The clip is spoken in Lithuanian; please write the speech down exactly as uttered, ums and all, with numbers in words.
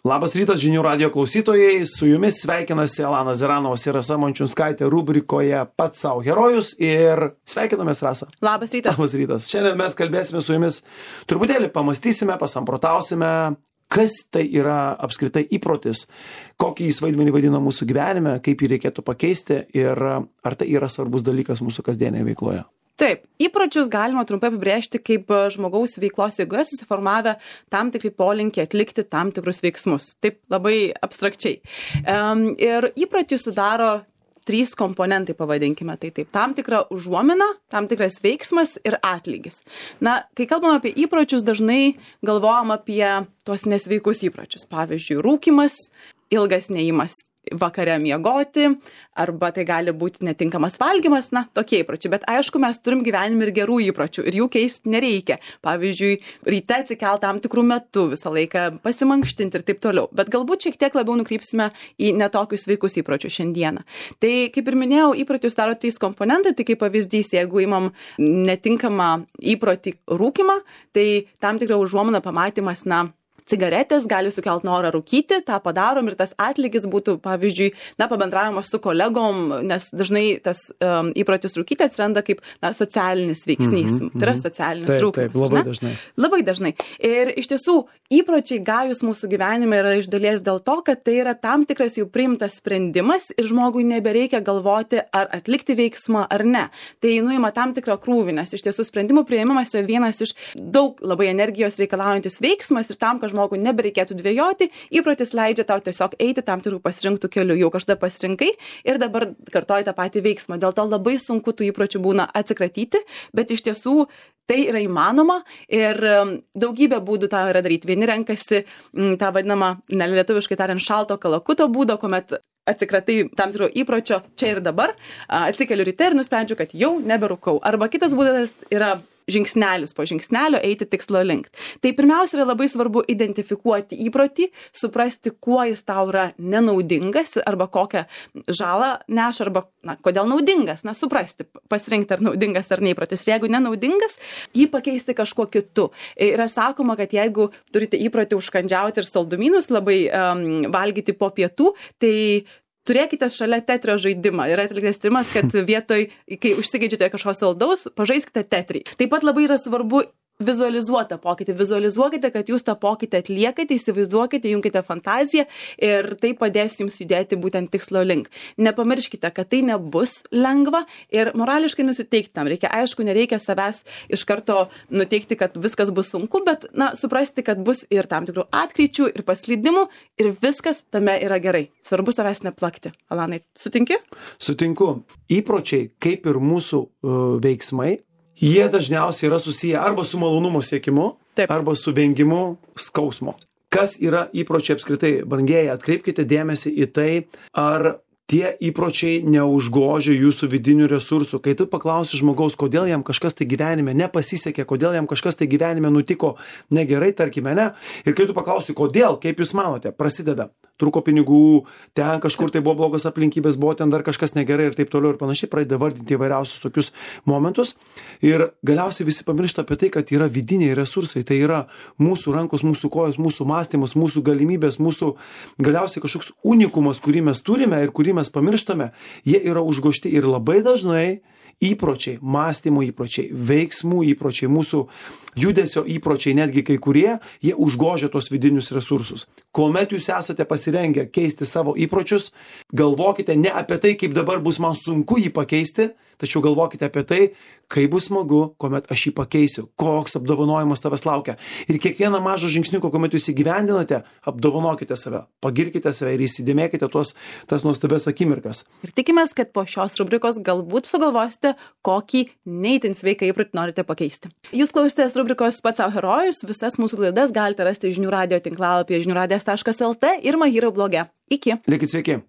Labas rytas, žinių radio klausytojai, su jumis sveikinasi Elanas Zeranovas ir Rasa Mončiunskaitė rubrikoje Pats savo herojus ir sveikinamės, Rasa. Labas rytas. Labas rytas. Šiandien mes kalbėsime su jumis, truputėlį pamastysime, pasamprotausime, kas tai yra apskritai įprotis, kokį jis vaidmenį vadina mūsų gyvenime, kaip jį reikėtų pakeisti ir ar tai yra svarbus dalykas mūsų kasdienėje veikloje. Taip, įpročius galima trumpai apibrėžti kaip žmogaus veiklos eigoje susiformavę tam tikri polinkiai atlikti tam tikrus veiksmus. Taip labai abstrakčiai. Um, ir įprotį sudaro trys komponentai, pavadinkime tai taip. Tam tikra užuomina, tam tikras veiksmas ir atlygis. Na, kai kalbam apie įpročius, dažnai galvojam apie tuos nesveikus įpročius. Pavyzdžiui, rūkymas, ilgas neėjimas vakare miegoti, arba tai gali būti netinkamas valgymas, na, tokie įpročiai. Bet aišku, mes turim gyvenime ir gerų įpročių ir jų keisti nereikia. Pavyzdžiui, ryte atsikelt tam tikrų metų, visą laiką pasimankštinti ir taip toliau. Bet galbūt šiek tiek labiau nukrypsime į netokius sveikus įpročius šiandieną. Tai, kaip ir minėjau, įpročius daro trys komponentai, tai kaip pavyzdys, jeigu imam netinkamą įprotį rūkymą, tai tam tikra užuomina pamatymas, na, cigaretės gali sukelt norą rūkyti, tą padarom ir tas atlygis būtų, pavyzdžiui, na, pabendravimas su kolegom, nes dažnai tas um, įprotis rūkyti atsiranda kaip, na, socialinis veiksnys. Mm -hmm. Tai yra socialinis taip, rūkymas. Taip, labai ne? dažnai. Labai dažnai. Ir iš tiesų, įpročiai gajus mūsų gyvenime yra iš dalies dėl to, kad tai yra tam tikras jau priimtas sprendimas ir žmogui nebereikia galvoti, ar atlikti veiksmą ar ne. Tai nuima tam tikrą krūvį, nes iš tiesų sprendimų priėmimas yra vienas iš daug labai energijos reikalaujantis veiksmas ir tam, kad žmogui nebereikėtų dvejoti, įprotis leidžia tau tiesiog eiti tam tikrų pasirinktų kelių. Jau kažkada pasirinkai ir dabar kartoji tą patį veiksmą. Dėl to labai sunku tų įpročių būna atsikratyti, bet iš tiesų tai yra įmanoma ir daugybė būdų tą yra daryti. Vieni renkasi tą vadinamą, nelietuviškai tariant, šalto kalakuto būdo, kuomet atsikratai tam tikro įpročio čia ir dabar, atsikeliu ryte ir nusprendžiu, kad jau neberūkau. Arba kitas būdas yra žingsnelis po žingsnelio eiti tikslo link. Tai pirmiausia yra labai svarbu identifikuoti įprotį, suprasti, kuo jis tau yra nenaudingas arba kokią žalą neša arba, na, kodėl naudingas, na, suprasti, pasirinkti ar naudingas ar neįprotis. Ir jeigu nenaudingas, jį pakeisti kažkuo kitu. Yra sakoma, kad jeigu turite įprotį užkandžiauti ir saldumynus labai um, valgyti po pietų, tai turėkite šalia tetrio žaidimą. Yra atliktas tyrimas, kad vietoj, kai užsigeidžiate kažko saldaus, pažaiskite tetrį. Taip pat labai yra svarbu vizualizuoti tą pokytį. Vizualizuokite, kad jūs tą pokytį atliekate, įsivaizduokite, jungkite fantaziją ir tai padės jums judėti būtent tikslo link. Nepamirškite, kad tai nebus lengva ir morališkai nusiteikti tam reikia. Aišku, nereikia savęs iš karto nuteikti, kad viskas bus sunku, bet, na, suprasti, kad bus ir tam tikrų atkryčių, ir paslydimų ir viskas tame yra gerai. Svarbu savęs neplakti. Alanai, sutinki? Sutinku. Įpročiai, kaip ir mūsų uh, veiksmai, jie dažniausiai yra susiję arba su malonumo siekimu, taip, arba su vengimu skausmo. Kas yra įpročiai apskritai? Brangieji, atkreipkite dėmesį į tai, ar tie įpročiai neužgožia jūsų vidinių resursų. Kai tu paklausi žmogaus, kodėl jam kažkas tai gyvenime nepasisekė, kodėl jam kažkas tai gyvenime nutiko negerai, tarkime, ne, ir kai tu paklausi, kodėl, kaip jūs manote, prasideda, truko pinigų, ten kažkur tai buvo blogos aplinkybės, buvo ten dar kažkas negerai ir taip toliau ir panašiai, pradeda vardinti įvairiausius tokius momentus ir galiausiai visi pamiršta apie tai, kad yra vidiniai resursai, tai yra mūsų rankos, mūsų kojos, mūsų mąstymas, mūsų galimybės, mūsų galiausiai kažkoks unikumas, kurį mes turime ir kurį mes pamirštame, jie yra užgožti ir labai dažnai įpročiai, mąstymo įpročiai, veiksmų įpročiai, mūsų judesio įpročiai, netgi kai kurie, jie užgožia tos vidinius resursus. Kuomet jūs esate pasirengę keisti savo įpročius, galvokite ne apie tai, kaip dabar bus man sunku jį pakeisti, tačiau galvokite apie tai, kaip bus smagu, kuomet aš jį pakeisiu, koks apdovanojimas tavęs laukia. Ir kiekvieną mažą žingsniuką, kuomet jūs įgyvendinate, apdovanokite save, pagirkite save ir įsidėmėkite tuos, tas nuostabias akimirkas. Ir tikimės, kad po šios rubrikos galbūt sugalvosite, kokį neįtin sveiką įprotį norite pakeisti. Jūs klausėtės rubrikos Pats savo herojus, visas mūsų laidas galite rasti žinių radio tinklalapyje žinių radijas taškas lt ir Mahiro bloge. Iki. Likit sveiki.